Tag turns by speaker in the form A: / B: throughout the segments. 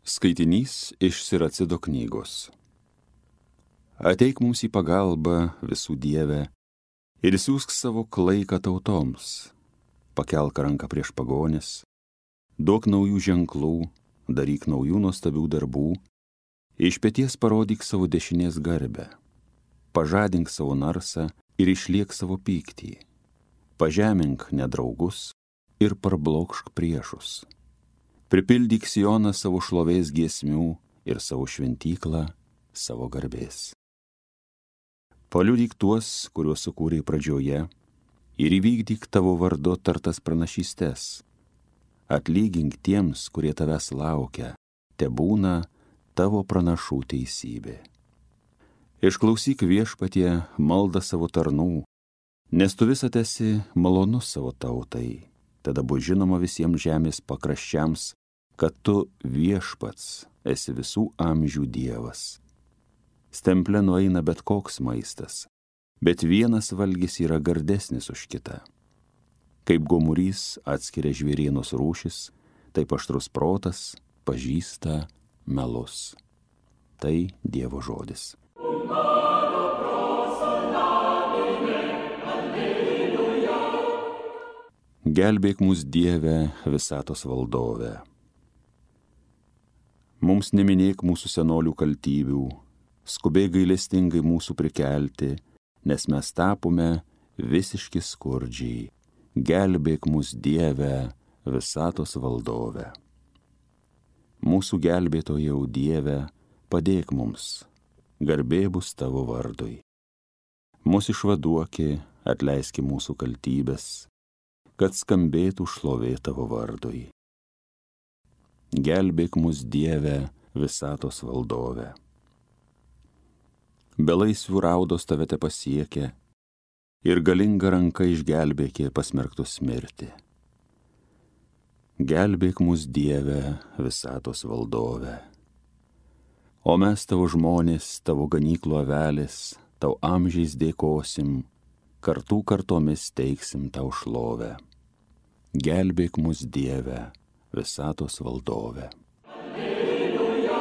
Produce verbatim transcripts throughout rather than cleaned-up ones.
A: Skaitinys iš Siracido knygos. Ateik mums į pagalbą, visų Dieve, ir siųsk savo klaiką tautoms. Pakelk ranką prieš pagonis, duok naujų ženklų, daryk naujų nuostabių darbų, iš peties parodyk savo dešinės garbę, pažadink savo narsą ir išliek savo pyktį, pažemink nedraugus ir parblokšk priešus. Pripildyk Sioną savo šlovės giesmių ir savo šventyklą savo garbės. Paliudyk tuos, kuriuos sukūrei pradžioje, ir įvykdyk tavo vardu tartas pranašystes. Atlygink tiems, kurie tavęs laukia, tebūna tavo pranašų teisybė. Išklausyk Viešpatie maldą savo tarnų, nes tu visad esi malonus savo tautai. Tada bus žinoma visiems žemės pakraščiams, kad tu Viešpats esi visų amžių Dievas. Stemple nueina bet koks maistas, bet vienas valgis yra gardesnis už kitą. Kaip gomurys atskiria žvėrienos rūšis, taip aštrus protas pažįsta melus. Tai Dievo žodis. Gelbėk mus, Dieve, visatos valdove. Mums neminėk mūsų senolių kaltybių, skubiai gailestingai mūsų prikelti, nes mes tapome visiški skurdžiai. Gelbėk mus, Dieve, visatos valdove. Mūsų gelbėtojau, Dieve, padėk mums, garbė bus tavo vardui. Mus išvaduoki, atleiski mūsų kaltybės, kad skambėtų šlovė tavo vardui. Gelbėk mus, Dieve, visatos valdove. Belaisvių raudos tave te pasiekia, ir galinga ranka išgelbėkė pasmerktus mirti. Gelbėk mus, Dieve, visatos valdove. O mes tavo žmonės, tavo ganyklų avelės, tau amžiais dėkosim, kartų kartomis teiksim tau šlovę. Gelbėk mus, Dieve, visatos valdove. Alleluja,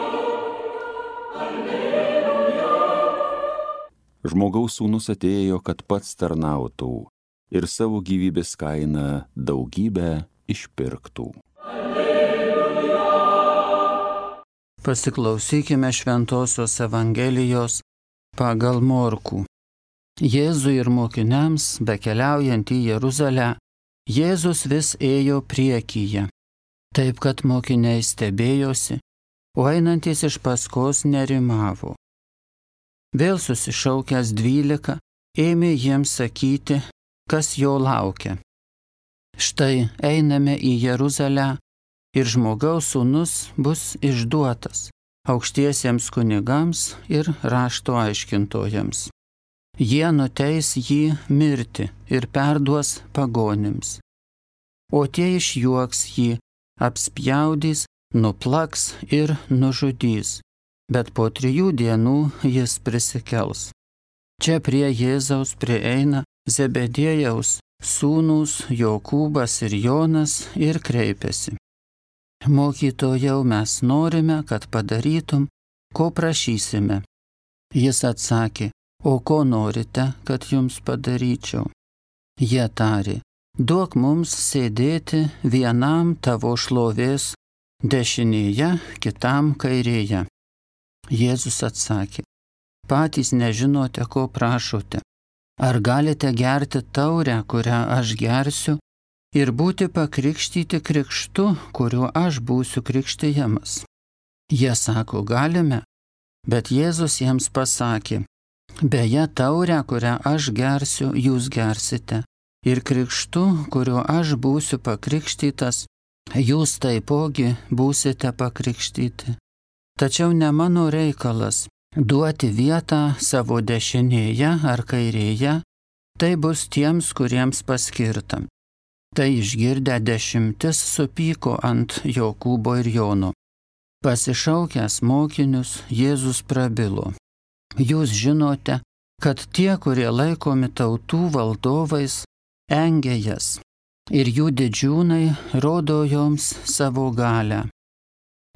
A: alleluja. Žmogaus sūnus atėjo, kad pats tarnautų ir savo gyvybės kainą daugybę išpirktų. Alleluja.
B: Pasiklausykime Šventosios Evangelijos pagal Morkų. Jėzui ir mokiniams, bekeliaujant į Jeruzalę, Jėzus vis ėjo priekyje, taip kad mokiniai stebėjosi, o einantis iš paskos nerimavo. Vėl susišaukęs dvylika, ėmė jiems sakyti, kas jo laukia. Štai einame į Jeruzalę ir žmogaus sūnus bus išduotas aukštiesiems kunigams ir rašto aiškintojams. Jie nuteis jį mirti ir perduos pagonims. O tie išjuoks jį, apspjaudys, nuplaks ir nužudys, bet po trijų dienų jis prisikels. Čia prie Jėzaus prieina Zebediejaus sūnūs Jokūbas ir Jonas ir kreipiasi. Mokytojau, mes norime, kad padarytum, ko prašysime. Jis atsakė, o ko norite, kad jums padaryčiau? Jie tarė, duok mums sėdėti vienam tavo šlovės dešinėje, kitam kairėje. Jėzus atsakė, patys nežinote, ko prašote. Ar galite gerti taurę, kurią aš gersiu, ir būti pakrikštyti krikštu, kuriuo aš būsiu krikštijamas? Jie sako, galime, bet Jėzus jiems pasakė, beje, taurę, kurią aš gersiu, jūs gersite, ir krikštu, kuriuo aš būsiu pakrikštytas, jūs taipogi būsite pakrikštyti. Tačiau ne mano reikalas duoti vietą savo dešinėje ar kairėje, tai bus tiems, kuriems paskirta. Tai išgirdę dešimtis supyko ant Jokūbo ir Jono. Pasišaukęs mokinius, Jėzus prabilo. Jūs žinote, kad tie, kurie laikomi tautų valdovais, engia jas, ir jų didžiūnai rodo joms savo galią.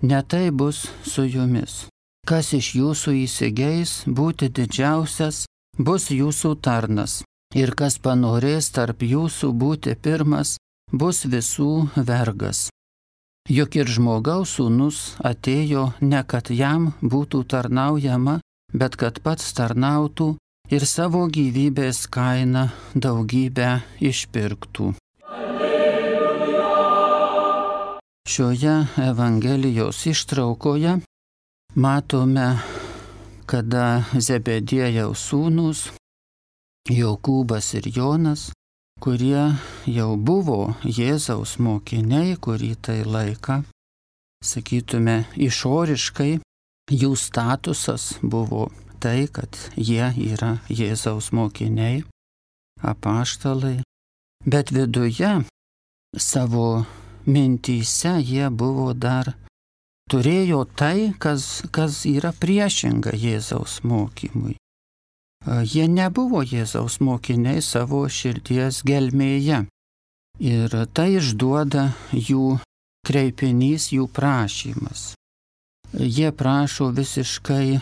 B: ne tai bus su jumis. Kas iš jūsų įsigeis būti didžiausias, bus jūsų tarnas. Ir kas panorės tarp jūsų būti pirmas, bus visų vergas. Juk ir žmogaus sūnus atėjo ne kad jam būtų tarnaujama, bet kad pats tarnautų ir savo gyvybės kainą daugybę išpirktų. Šioje Evangelijos ištraukoje matome, kada Zebediejaus sūnūs Jokūbas ir Jonas, kurie jau buvo Jėzaus mokiniai kurį tai laiką, sakytume, išoriškai jų statusas buvo tai, kad jie yra Jėzaus mokiniai, apaštalai, bet viduje savo mintyse jie buvo dar, turėjo tai, kas, kas yra priešinga Jėzaus mokymui. Jie nebuvo Jėzaus mokiniai savo širdies gelmėje. Ir tai išduoda jų kreipinys, jų prašymas. Jie prašo visiškai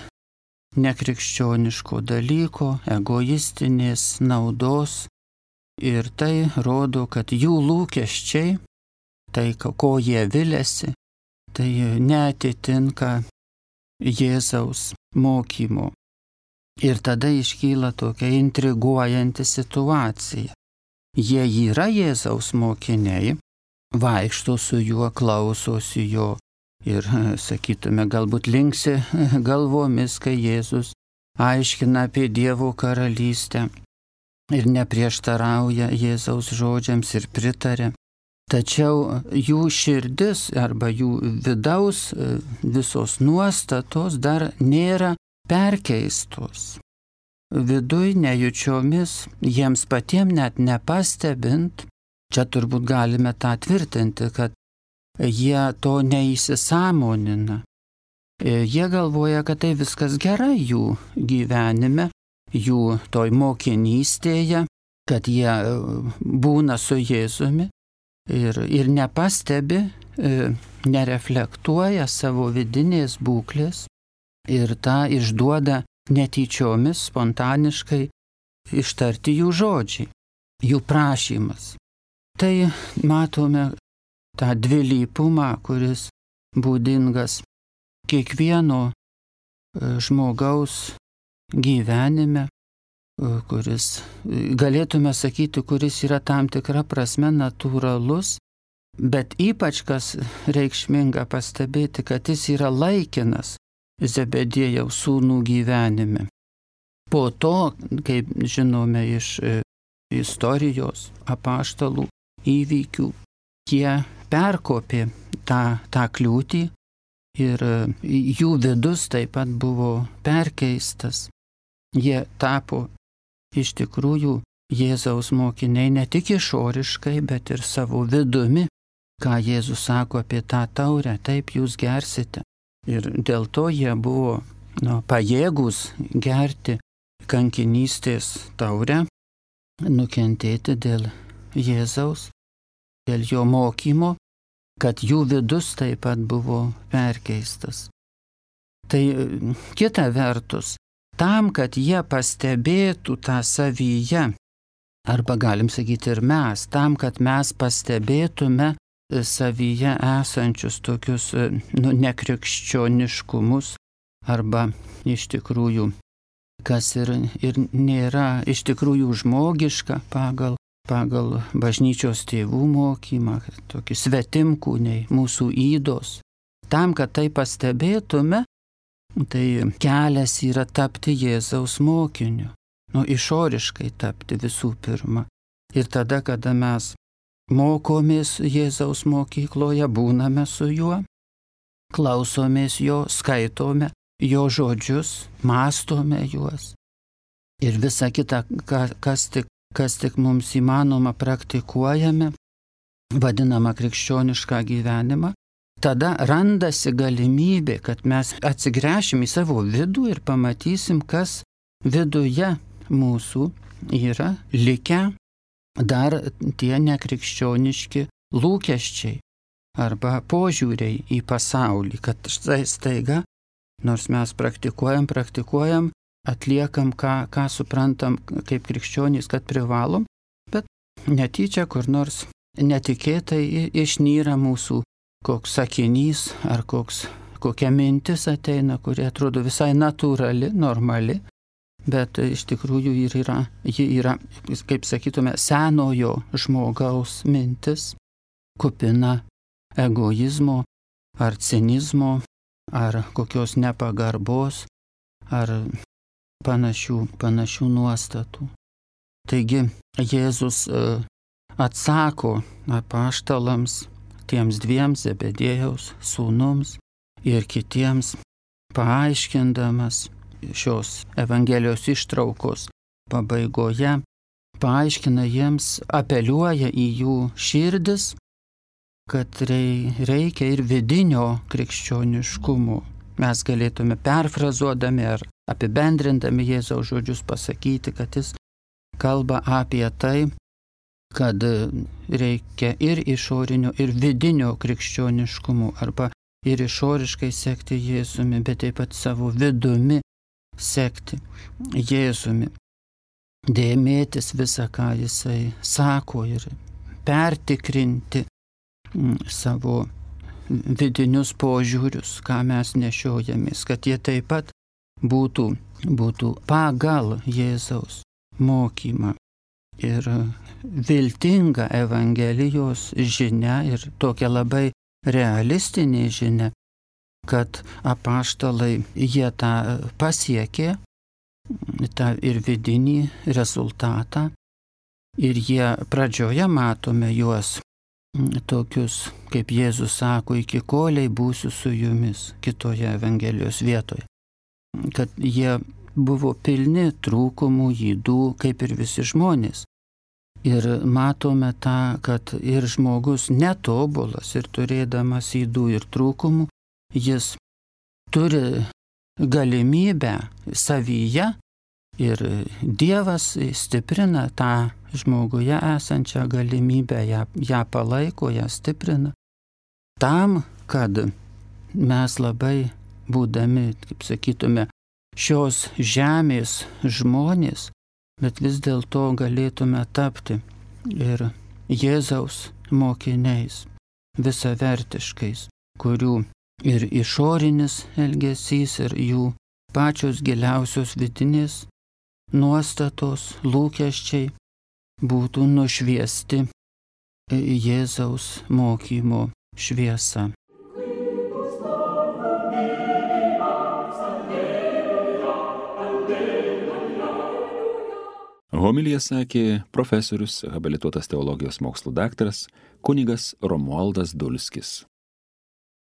B: nekrikščioniško dalyko, egoistinės naudos. Ir tai rodo, kad jų lūkesčiai, tai ko jie viliasi, tai neatitinka Jėzaus mokymo. Ir tada iškyla tokia intriguojanti situacija. Jie yra Jėzaus mokiniai, vaikšto su juo, klausosi jo ir, sakytume, galbūt linksi galvomis, kai Jėzus aiškina apie Dievo karalystę ir neprieštarauja Jėzaus žodžiams ir pritarė. Tačiau jų širdis arba jų vidaus visos nuostatos dar nėra perkeistos. Viduj nejučiomis, jiems patiems net nepastebint, čia turbūt galime tą tvirtinti, kad jie to neįsisąmonina. Jie galvoja, kad tai viskas gerai jų gyvenime, jų toj mokinystėje, kad jie būna su Jėzumi ir, ir nepastebi, nereflektuoja savo vidinės būklės. Ir tą išduoda netyčiomis, spontaniškai ištarti jų žodžiai, jų prašymas. Tai matome tą dvilypumą, kuris būdingas kiekvieno žmogaus gyvenime, kuris, galėtume sakyti, kuris yra tam tikra prasme natūralus, bet ypač kas reikšminga pastebėti, kad jis yra laikinas Zebediejaus sūnų gyvenime. Po to, kaip žinome iš istorijos apaštalų įvykių, jie perkopė tą, tą kliūtį ir jų vidus taip pat buvo perkeistas. Jie tapo iš tikrųjų Jėzaus mokiniai ne tik išoriškai, bet ir savo vidumi, ką Jėzus sako apie tą taurę, taip jūs gersite. Ir dėl to jie buvo nu, pajėgūs gerti kankinystės taurę, nukentėti dėl Jėzaus, dėl jo mokymo, kad jų vidus taip pat buvo perkeistas. Tai kita vertus, tam, kad jie pastebėtų tą savyje, arba galim sakyti ir mes, tam, kad mes pastebėtume savyje esančius tokius nu, nekrikščioniškumus arba iš tikrųjų, kas ir, ir nėra iš tikrųjų žmogiška pagal, pagal bažnyčios tėvų mokymą, tokį svetimkūniai, mūsų ydos. Tam, kad tai pastebėtume, tai kelias yra tapti Jėzaus mokiniu, nu išoriškai tapti visų pirma. Ir tada, kada mes mokomės Jėzaus mokykloje, būname su juo, klausomės jo, skaitome jo žodžius, mąstome juos. Ir visa kita, kas tik, kas tik mums įmanoma, praktikuojame, vadinama krikščionišką gyvenimą, tada randasi galimybė, kad mes atsigręšim į savo vidų ir pamatysim, kas viduje mūsų yra likę dar tie nekrikščioniški lūkesčiai arba požiūriai į pasaulį, kad štai staiga, nors mes praktikuojam, praktikuojam, atliekam, ką, ką suprantam kaip krikščionys, kad privalom, bet netyčia kur nors netikėtai išnyra mūsų koks sakinys ar koks, kokia mintis ateina, kuri atrodo visai natūrali, normali, bet iš tikrųjų ir yra, ji yra, kaip sakytume, senojo žmogaus mintis, kupina egoizmo ar cinizmo, ar kokios nepagarbos, ar panašių, panašių nuostatų. Taigi Jėzus atsako apaštalams, tiems dviems Zebediejaus sūnums ir kitiems, paaiškindamas šios Evangelijos ištraukos pabaigoje, paaiškina jiems, apeliuoja į jų širdis, kad reikia ir vidinio krikščioniškumo. Mes galėtume perfrazuodami ar apibendrindami Jėzaus žodžius pasakyti, kad jis kalba apie tai, kad reikia ir išorinio, ir vidinio krikščioniškumo, arba ir išoriškai sekti Jėzumi, bet taip pat savo vidumi sekti Jėzumi. Dėmėtis visą, ką jisai sako, ir pertikrinti savo vidinius požiūrius, ką mes nešiojamės, kad jie taip pat būtų, būtų pagal Jėzaus mokymą. Ir viltinga Evangelijos žinia ir tokia labai realistinė žinia, kad apaštalai jie tą pasiekė, tą ir vidinį rezultatą, ir jie pradžioje matome juos tokius, kaip Jėzus sako, iki koliai būsiu su jumis, kitoje Evangelijos vietoje. Kad jie buvo pilni trūkumų, ydų, kaip ir visi žmonės. Ir matome tą, kad ir žmogus netobulas ir turėdamas ydų ir trūkumų, jis turi galimybę savyje ir Dievas stiprina tą žmoguje esančią galimybę, ją, ją palaiko, ją stiprina. Tam, kad mes labai būdami, kaip sakytume, šios žemės žmonės, bet vis dėlto galėtume tapti ir Jėzaus mokiniais, visavertiškais, kurių ir išorinis elgesys, ir jų pačios giliausios vidinės nuostatos, lūkesčiai būtų nušviesti Jėzaus mokymo šviesa.
A: Homiliją sakė profesorius, habilituotas teologijos mokslų daktaras kunigas Romualdas Dulskis.